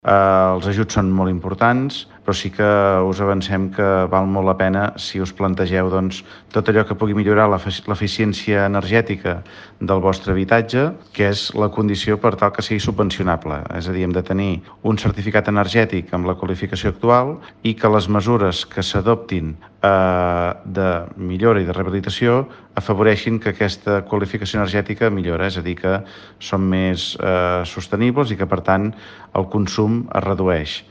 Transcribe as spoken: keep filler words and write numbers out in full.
Eh, els ajuts són molt importants, però sí que us avancem que val molt la pena si us plantegeu doncs, tot allò que pugui millorar l'eficiència energètica del vostre habitatge, que és la condició per tal que sigui subvencionable. És a dir, hem de tenir un certificat energètic amb la qualificació actual i que les mesures que s'adoptin eh, de millora i de rehabilitació afavoreixin que aquesta qualificació energètica millora, és a dir, que són més eh, sostenibles i que, per tant, el consum es redueix.